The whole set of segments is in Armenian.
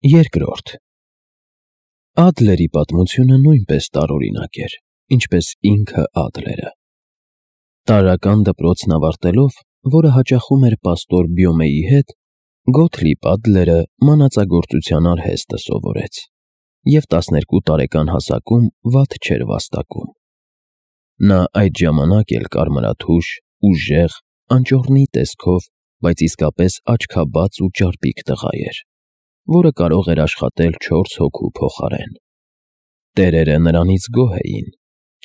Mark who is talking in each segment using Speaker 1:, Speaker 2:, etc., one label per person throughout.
Speaker 1: Երկրորդ Ադլերի պատմությունը նույնպես տարօրինակ էր, ինչպես ինքը Ադլերը։ Տարրական դպրոցն ավարտելով, որը հաճախում էր պաստոր Բյոմեի հետ, Գոթլիբ Ադլերը մանածագործության արհեստը սովորեց և 12 տարեկան հասակում վատ չէր վաստակում։ Նա այդ ժամանակ էլ կարմրաթուշ, ուժեղ, անճոռնի տեսքով, բայց իսկապես աչքաբաց ու ճարպիկ տղա էր, որը կարող էր աշխատել 4 հոգու փոխարեն։ Տերերը նրանից գոհ էին,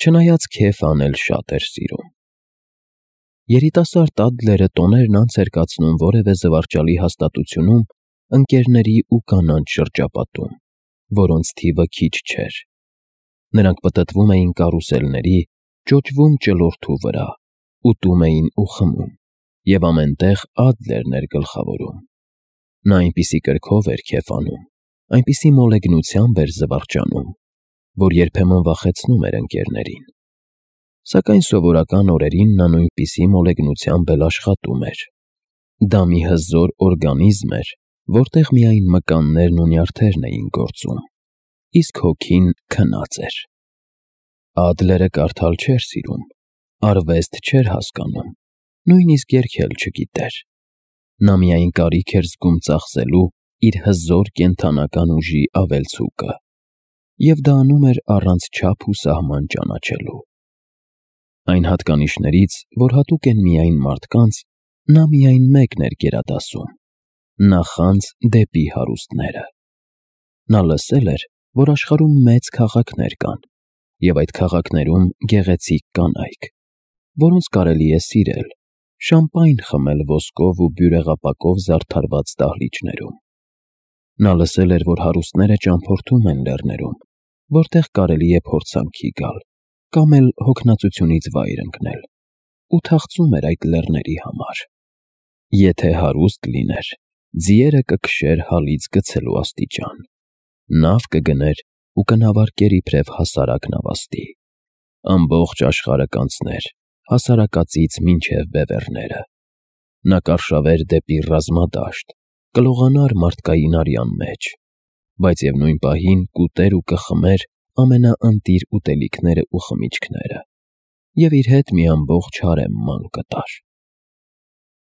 Speaker 1: չնայած քեֆ անել շատ էր սիրում։ Երիտասարդ Ադլերը տոներն անց էր կացնում որևէ զվարճալի հաստատությունում, ընկերների ու կանանց շրջապատում, որոնց թիվը քիչ չէր։ Նրանք պտտվում էին կարուսելների, ճոճվում ճլորդու վրա, ուտում էին ու խմում, և ամենտեղ Ադլերն էր գլխավորում։ Նա այնպիսի կրքով էր քեֆ անում, այնպիսի մոլեգնությամբ էր զվարճանում, որ երբեմն վախեցնում էր ընկերներին։ Սակայն սովորական օրերին նա նույնպիսի մոլեգնությամբ էլ աշխատում էր։ Դա մի հզոր օրգանիզմ էր, որտեղ միայն մկաններն ու նյարդերն էին գործում, իսկ հոգին քնած էր։ Ադլերը կարդալ չէր սիրում, արվեստ չէր հասկանում, նույնիսկ երգել չգիտեր։ Նա միայն կարիք էր զգում ծախսելու իր հզոր կենդանական ուժի ավելցուկը, և դա անում էր առանց չափ ու սահման ճանաչելու։ Այն հատկանիշներից, որ հատուկ են միայն մարդկանց, նա միայն մեկն էր գերադասում՝ նախանձ դեպի հարուստները։ Նա լսել էր, որ աշխարհում մեծ քաղաքներ կան, և այդ քաղաքներում գեղեցիկ կանայք, որոնց կարելի է սիրել, շամպայն խմել ոսկով ու բյուրեղապակով զարդարված դահլիճներում։ Նա լսել էր, որ հարուստները ճամփորդում են լեռներում, որտեղ կարելի է փորձանքի գալ, կամ էլ հոգնածությունից վայր ընկնել, ու թախծում էր այդ լեռների համար։ Եթե հարուստ լիներ, ձիերը կքշեր հալից գցելու աստիճան, նավ կգներ ու կնավարկեր իբրև հասարակ նավաստի, ամբողջ աշխարհը կանցներ, հասարակածից մինչև բևեռները։ Նա կարշավեր դեպի ռազմադաշտ, կլողանար մարդկային արյան մեջ, բայց և նույն պահին կուտեր ու կխմեր ամենաընտիր ուտելիքները ու խմիչքները, և իր հետ մի ամբողջ հարեմ ման կտար։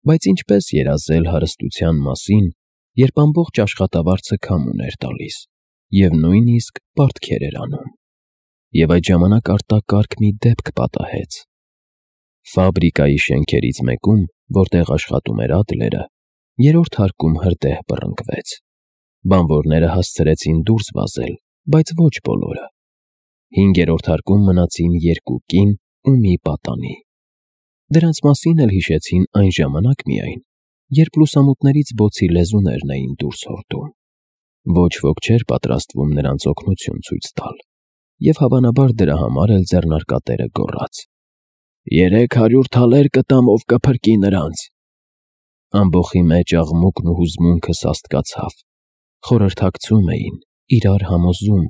Speaker 1: Բայց ինչպես երազել հարստության մասին, երբ ամբողջ աշխատավարձը քամուն էր տալիս, և նույնիսկ պարտքեր էր անում։ Եվ այդ ժամանակ արտակարգ մի դեպք պատահեց։ Ֆաբրիկայի շենքերից մեկում, որտեղ աշխատում էր Ադլերը, երրորդ հարկում հրդեհ բռնկվեց։ Բանվորները հասցրեցին դուրս վազել, բայց ոչ բոլորը։ 5-րդ հարկում մնացին 2 կին ու մի պատանի։ Դրանց մասին էլ հիշեցին այն ժամանակ միայն, երբ լուսամուտներից բոցի լեզուներն էին դուրս հորդում։ Ոչ ոք չէր պատրաստվում նրանց օգնություն ցույց տալ, և հավանաբար դրա համար էլ ձեռնարկատերը գոռաց. 300 թալեր կտամ, ով կփրկի նրանց։ Ամբոխի մեջ աղմուկն ու հուզմունքը սաստկացավ, խորհրդակցում էին, իրար համոզում,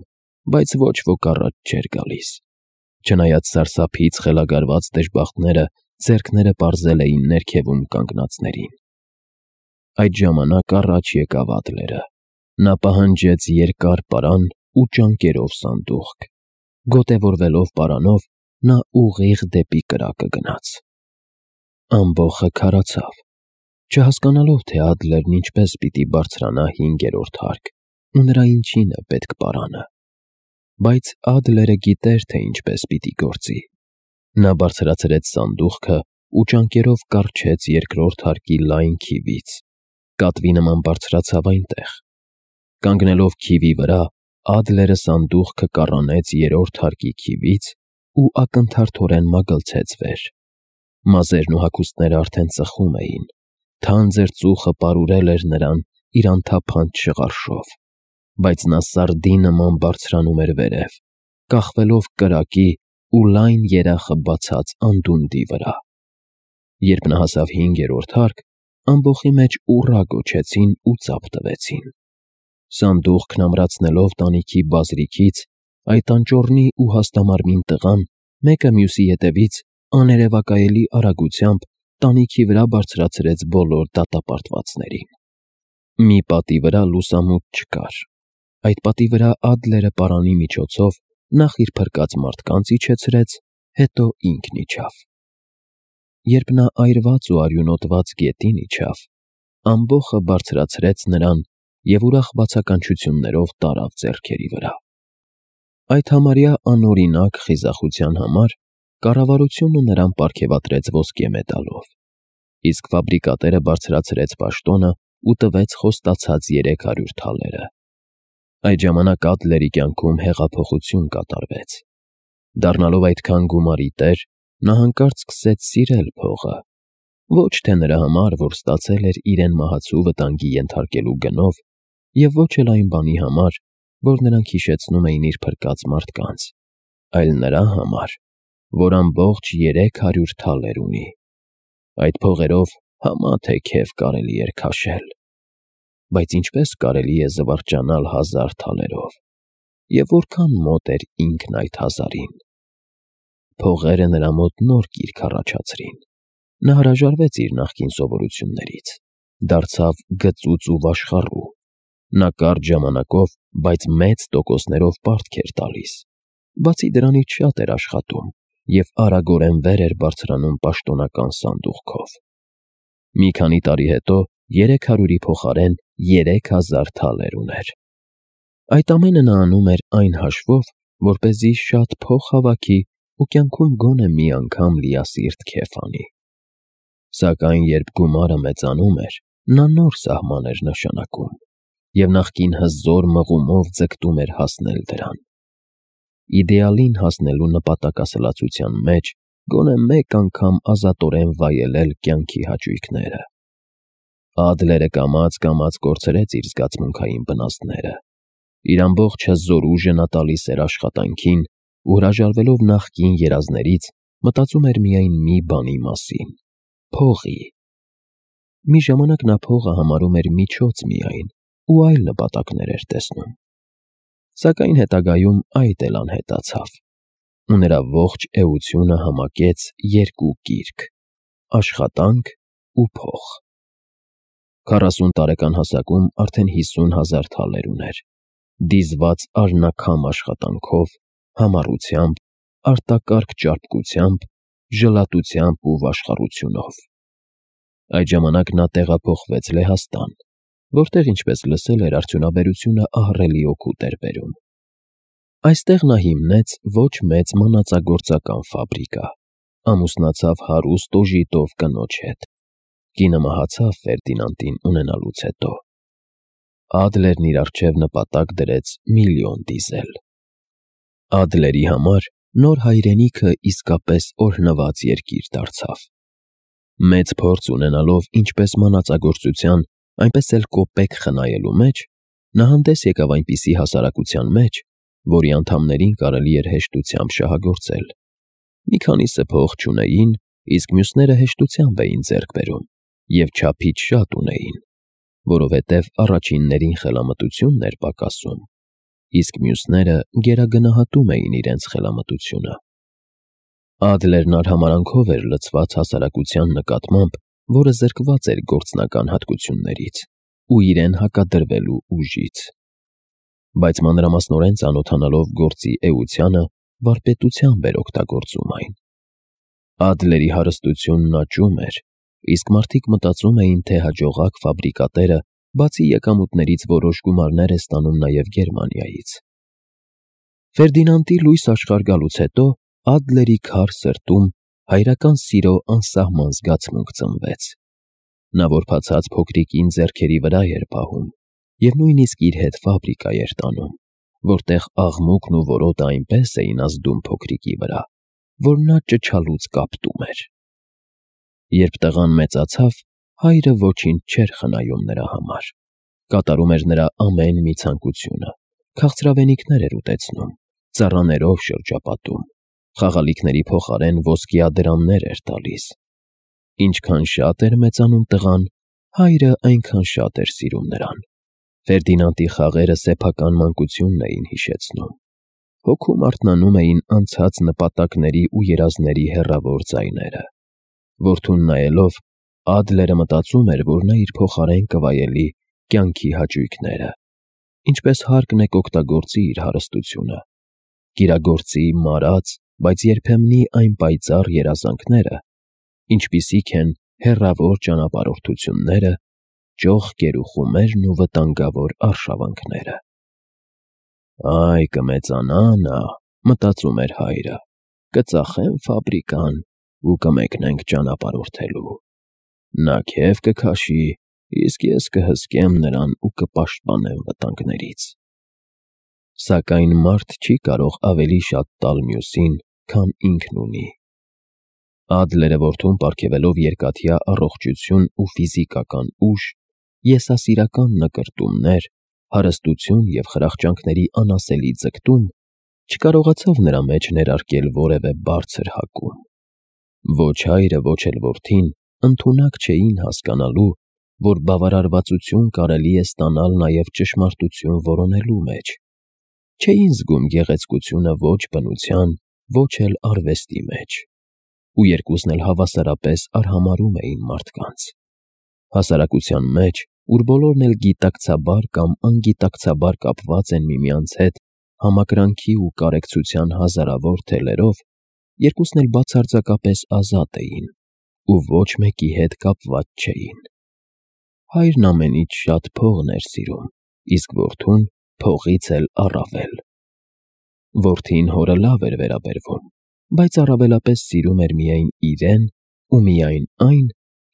Speaker 1: բայց ոչ ոք առաջ չէր գալիս։ Չնայած սարսափից խելագարված դժբախտները ձեռքները պարզել էին ներքևում կանգնածներին։ Այդ ժամանակ առաջ եկավ Ադլերը։ Նա պահանջեց երկար պարան ու ճանկերով սանդուղք։ Գոտևորվելով պարանով, նա ուղիղ դեպի կրակը գնաց։ Ամբոխը քարացավ, չհասկանալով, թե Ադլերն ինչպես պիտի բարձրանա 5-րդ հարկ ու նրա ինչին է պետք պարանը։ Բայց Ադլերը գիտեր, թե ինչպես պիտի գործի։ Նա բարձրացրեց սանդուղքը ու ճանկերով կառչեց 2-րդ հարկի լայն քիվից, կատվի նման բարձրացավ այնտեղ։ Կանգնելով քիվի վրա, Ադլերը սանդուղքը կառանեց 3-րդ հարկի քիվից ու ակնթարթորեն մագլցեց վեր։ Մազերն ու հագուստները արդեն ծխում էին, թանձր ծուխը պարուրել էր նրան իր անթափանց շղարշով, բայց նա սարդի նման բարձրանում էր վերև, կախվելով կրակի ու լայն երախը բացած անդունդի վրա։ Երբ նա հասավ 5-րդ հարկ, ամբոխի մեջ ուռա գոչեցին ու ծափ տվեցին։ Սանդուղքն ամրացնելով տանիքի բազրիքից, այդ անճոռնի ու հաստամարմին տղան մեկը մյուսի ետևից աներևակայելի արագությամբ տանիքի վրա բարձրացրեց բոլոր դատապարտվածներին։ Մի պատի վրա լուսամուտ չկար, Այդ պատի վրա Ադլերը պարանի միջոցով նախ իր փրկած մարդկանց իջեցրեց, հետո ինքն իջավ։ Երբ նա այրված ու արյունոտված գետին իջավ, ամբոխը բարձրացրեց նրան և ուրախ բացականչություններով տարավ ձեռքերի վրա։ Այդ համարյա անօրինակ խիզախության համար կառավարությունը նրան պարգևատրեց ոսկե մեդալով, իսկ ֆաբրիկատերը բարձրացրեց պաշտոնը ու տվեց խոստացած 300 թալերը։ Այդ ժամանակ Ադլերի կյանքում հեղափոխություն կատարվեց։ Դառնալով այդքան գումարի տեր, նա հանկարծ սկսեց սիրել փողը, ոչ թե նրա համար, որ ստացել էր իրեն մահացու վտանգի ենթարկելու գնով, և ոչ էլ այն բանի համար, որ նրանք հիշեցնում էին իր փրկած մարդկանց, այլ նրա համար, որ ամբողջ 300 թալեր ունի։ Այդ փողերով համա թե քեֆ կարելի էր քաշել, բայց ինչպես կարելի է զվարճանալ 1000 թալերով, և որքան մոտ էր ինքն այդ 1000-ին։ Փողերը նրա մոտ նոր կիրք առաջացրին։ Նա հրաժարվեց իր նախկին սովորություններից, դարձավ գծուծ ու վաշխառու։ Նա կարճ ժամանակով, բայց մեծ տոկոսներով պարտք էր տալիս, բացի դրանից շատ էր աշխատում և արագորեն վեր էր բարձրանում պաշտոնական սանդուղքով։ Մի քանի տարի հետո 300-ի փոխարեն 3000 թալեր ուներ։ Այդ ամենը նա անում էր այն հաշվով, որպեսզի շատ փող հավաքի ու կյանքում գոնե մի անգամ լիասիրտ քեֆ անի։ Սակայն երբ գումարը մեծանում էր, նա նոր սահման էր նշանակում և նախկին հզոր մղումով ձգտում էր հասնել դրան։ Իդեալին հասնելու նպատակասլացության մեջ գոնե մեկ անգամ ազատորեն վայելել կյանքի հաճույքները։ Ադլերը կամաց կորցրեց իր զգացմունքային բնազդները։ Իր ամբողջ հզոր ուժը նա տալիս էր աշխատանքին ու հրաժարվելով նախկին երազներից, մտածում էր միայն մի բանի մասին՝ փողի։ Մի ժամանակ նա փողը համարում էր միջոց միայն ու այլ նպատակներ էր տեսնում։ Սակայն հետագայում այդ էլ անհետացավ, ու նրա ողջ էությունը համակեց երկու կիրք՝ աշխատանք ու փող։ 40 տարեկան հասակում արդեն 50,000 թալեր ուներ, դիզված արնաքամ աշխատանքով, համառությամբ, արտակարգ ճարպկությամբ, ժլատությամբ ու վաշխառությունով։ Այդ ժամանակ նա տեղափոխվեց Լեհաստան, որտեղ, ինչպես լսել էր, արդյունաբերությունը ահռելի օգուտ էր բերում։ Այստեղ նա հիմնեց ոչ մեծ մանածագործական ֆաբրիկա, ամուսնացավ հարուստ օժիտով կնոջ հետ։ Կինը մահացավ Ֆերդինանդին ունենալուց հետո։ Ադլերն իր առջև նպատակ դրեց միլիոն դիզել։ Ադլերի համար նոր հայրենիքը իսկապես օրհնված երկիր դարձավ։ Մեծ փորձ ունենալով ինչպես մանածագործության, այնպես էլ կոպեկ խնայելու մեջ, նա հանդես եկավ այնպիսի հասարակության մեջ, որի անդամներին կարելի էր հեշտությամբ շահագործել։ Մի քանիսը փող չունեին, իսկ մյուսները հեշտությամբ էին ձեռք բերում և չափից շատ ունեին, որովհետև առաջիններին խելամտությունն էր պակասում, իսկ մյուսները գերագնահատում էին իրենց խելամտությունը։ Ադլերն արհամարհանքով էր լցված հասարակության նկատմամբ, որը զրկված էր գործնական հատկություններից ու իրեն հակադրվելու ուժից։ Բայց մանրամասնորեն ծանոթանալով գործի էությանը, վարպետությամբ էր օգտագործում այն։ Ադլերի հարստությունն աճում էր, իսկ մարդիկ մտածում էին, թե հաջողակ ֆաբրիկատերը բացի եկամուտներից որոշ գումարներ է ստանում նաև Գերմանիայից։ Ֆերդինանդի լույս աշխարհ գալուց հետո Ադլերի քար սրտում հայրական սիրո անսահման զգացմունք ծնվեց։ Նա որբացած փոքրիկին ձեռքերի վրա էր պահում և նույնիսկ իր հետ ֆաբրիկա էր տանում, որտեղ աղմուկն ու որոտը այնպես էին ազդում փոքրիկի վրա, որ նա ճչալուց կապտում էր։ Երբ տղան մեծացավ, հայրը ոչինչ չէր խնայում նրա համար, կատարում էր նրա ամեն մի ցանկությունը, քաղցրավենիքներ էր ուտեցնում, ծառաներով շրջապատում, խաղալիքների փոխարեն ոսկեադրամներ էր տալիս։ Ինչքան շատ էր մեծանում տղան, հայրը այնքան շատ էր սիրում նրան։ Ֆերդինանդի խաղերը սեփական մանկությունն էին հիշեցնում։ Հոգում արթնանում էին անցած նպատակների ու երազների հեռավոր ձայները։ Որդուն նայելով, Ադլերը մտածում էր, որ նա իր փոխարեն կվայելի կյանքի հաճույքները։ ինչպես հարկն է կօգտագործի իր հարստությունը, կիրագործի մարած, բայց երբեմնի այն պայծառ երազանքները, ինչպիսիք են հեռավոր ճանապարհորդությունները, ճոխ գերուխումերն ու վտանգավոր արշավանքները։ «Այ կմեծանա նա», մտածում էր հայրը, «կծախեմ ֆաբրիկան ու կմեկնենք ճանապարհորդելու։ Նա քեֆ կքաշի, իսկ ես կհսկեմ նրան ու կպաշտպանեմ վտանգներից»։ Սակայն մարդ չի կարող ավելի շատ տալ մյուսին, քան ինքն ունի։ Ադլերը որդուն պարգևելով երկաթյա առողջություն ու ֆիզիկական ուժ, եսասիրական նկրտումներ, հարստություն և խրախճանքների անասելի ձգտում, չկարողացավ նրա մեջ ներարկել որևէ բարձր հակում։ Ոչ հայրը, ոչ էլ որդին ընդունակ չէին հասկանալու, որ բավարարվածություն կարելի է ստանալ նաև ճշմարտություն որոնելու մեջ։ Չէին զգում գեղեցկությունը ոչ բնության, ոչ էլ արվեստի մեջ, ու երկուսն էլ հավասարապես արհամարհում էին մարդկանց։ Հասարակության մեջ, ուր բոլորն էլ գիտակցաբար կամ անգիտակցաբար կապված են միմյանց հետ համակրանքի ու կարեկցության հազարավոր թելերով, երկուսն էլ բացարձակապես ազատ էին ու ոչ մեկի հետ կապված չէին։ Հայրն ամենից շատ փողն էր սիրում, իսկ որդուն փողից էլ առավել։ Որդին հորը լավ էր վերաբերվում, բայց առավելապես սիրում էր միայն իրեն ու միայն այն,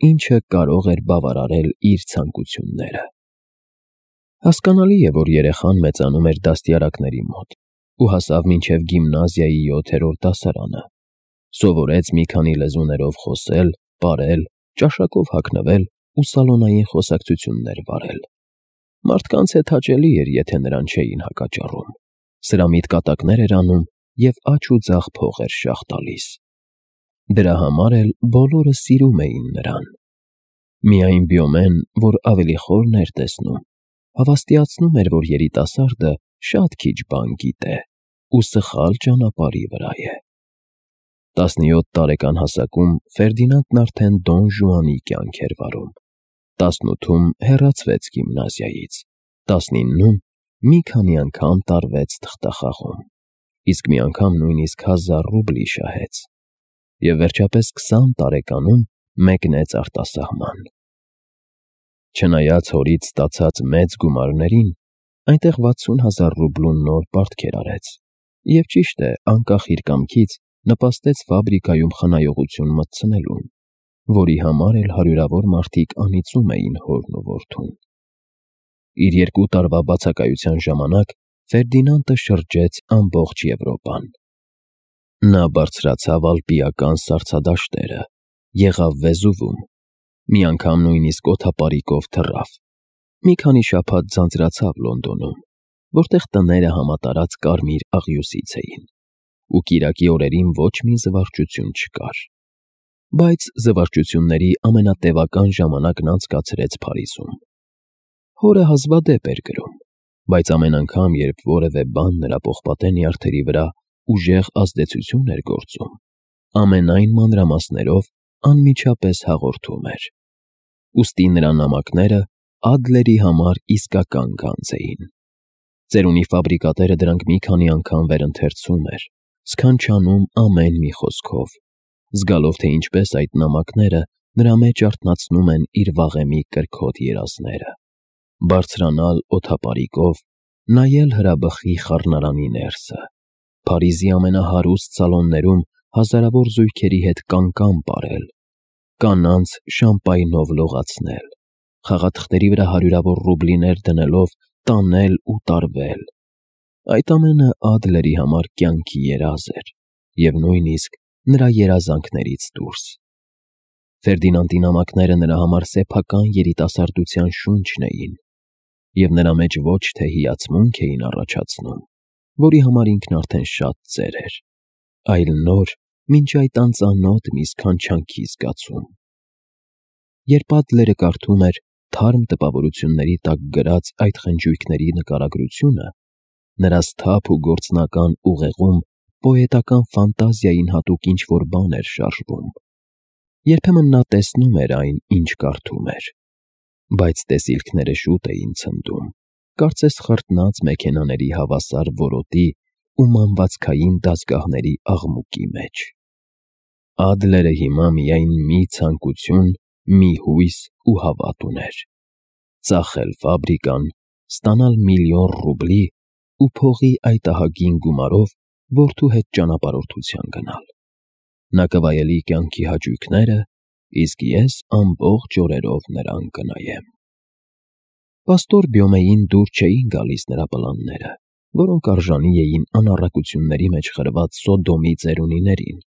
Speaker 1: ինչը կարող էր բավարարել իր ցանկությունները։ Հասկանալի է, որ երեխան մեծանում էր դաստիարակների մոտ ու հասավ մինչև գիմնազիայի 7-րդ դասարանը, սովորեց մի քանի լեզուներով խոսել, պարել, ճաշակով հագնվել ու սալոնային խոսակցություններ վարել։ Մարդկանց հետ հաճելի էր, եթե նրան չէին հակաճառում, սրամիտ կատակներ էր անում և աջ ու ձախ փող էր շաղ տալիս։ Դրա համար էլ բոլորը սիրում էին նրան։ Միայն Բյոմեն, որ ավելի խորն էր տեսնում, հավաստիացնում էր, որ երիտասարդը շատ քիչ բան գիտե ու սխալ ճանապարհի վրա է։ 17 տարեկան հասակում Ֆերդինանդն արդեն Դոն Ժուանի կյանք էր վարում, 18-ում հեռացվեց գիմնազիայից, 19-ում մի քանի անգամ տարվեց թղթախաղում, իսկ մի անգամ նույնիսկ 1000 ռուբլի շահեց, և վերջապես 20 տարեկանում մեկնեց արտասահման։ Չնայած հորից ստացած մեծ գումարներին, այնտեղ 60,000 ռուբլու նոր պարտքեր արեց և, ճիշտ է, անկախ իր կամքից նպաստեց ֆաբրիկայում խնայողություն մտցնելուն, որի համար էլ հարյուրավոր մարդիկ անիծում էին հորն ու որդուն։ Իր 2 տարվա բացակայության ժամանակ Ֆերդինանդը շրջեց ամբողջ Եվրոպան։ Նա բարձրացավ ալպիական սառցադաշտերը, եղավ Վեզուվում, մի անգամ նույնիսկ օդապարիկով թռավ, մի քանի շաբաթ ձանձրացավ Լոնդոնում, որտեղ տները համատարած կարմիր աղյուսից էին, ու կիրակի օրերին ոչ մի զվարճություն չկար։ Բայց զվարճությունների ամենատևական ժամանակն անցկացրեց Փարիզում։ Հորը հազվադեպ էր գրում, բայց ամեն անգամ, երբ որևէ բան նրա պողպատե նյարդերի վրա ուժեղ ազդեցություն էր գործում, ամենայն մանրամասներով անմիջապես հաղորդում էր։ Ուստի նրա նամակները Ադլերի համար իսկական գանձ էին։ Ծերունի ֆաբրիկատերը դրանք մի քանի անգամ վերընթերցում էր, սքանչանում ամեն մի խոսքով, զգալով, թե ինչպես այդ նամակները նրա մեջ արթնացնում են իր վաղեմի կրքոտ երազները։ Բարձրանալ օդապարիկով, նայել հրաբխի խառնարանի ներսը, Փարիզի ամենահարուստ սալոններում հազարավոր զույգերի հետ կանկան պարել, կանանց շամպայնով լողացնել, խաղաթղթերի վրա հարյուրավոր ռուբլիներ դնելով տանել ու տարվել։ Այդ ամենը Ադլերի համար կյանքի երազ էր և նույնիսկ նրա երազանքներից դուրս։ Ֆերդինանդի նամակները նրա համար սեփական երիտասարդության շունչն էին, և նրա մեջ ոչ թե հիացմունք էին առաջացնում, որի համար ինքն արդեն շատ ծեր էր, այլ նոր, մինչ այդ անծանոթ մի սքանչանքի զգացում։ Երբ Ադլերը կարդում էր թարմ տպավորությունների տակ գրած այդ խնջույքների նկարագրությունը, նրա սթափ ու գործնական ուղեղում պոետական ֆանտազիային հատուկ ինչ-որ բան էր շարժվում։ Երբեմն նա տեսնում էր այն, ինչ կարդում էր, բայց տեսիլքները շուտ էին ցնդում, կարծես խրտնած մեքենաների հավասար որոտի ու մանվածքային դասգահների աղմուկի մեջ։ Ադլերը հիմա միայն մի ցանկություն, մի հույս ու հավատ ուներ. ծախել ֆաբրիկան, ստանալ միլիոն ռուբլի ու փողի այդ ահագին գումարով որդու հետ ճանապարհորդության գնալ։ Նա կվայելի կյանքի հաճույքները, իսկ ես ամբողջ օրերով նրան կնայեմ։ Պաստոր Բյոմեին դուր չէին գալիս նրա պլանները, որոնք արժանի էին անառակությունների մեջ խրված Սոդոմի ծերունիներին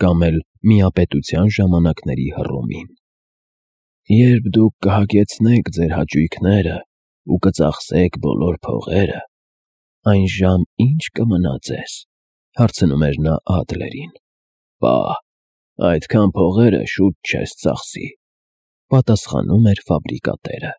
Speaker 1: կամ էլ միապետության ժամանակների Հռոմին։ Երբ դուք կհագեցնեք ձեր հաճույքները ու կծախսեք բոլոր փողերը, այն ժամ ի՞նչ կմնա ձեզ, հարցնում էր նա Ադլերին։ Պահ, այդքան փողերը շուտ չես ծախսի, պատասխանում էր ֆաբրիկատերը։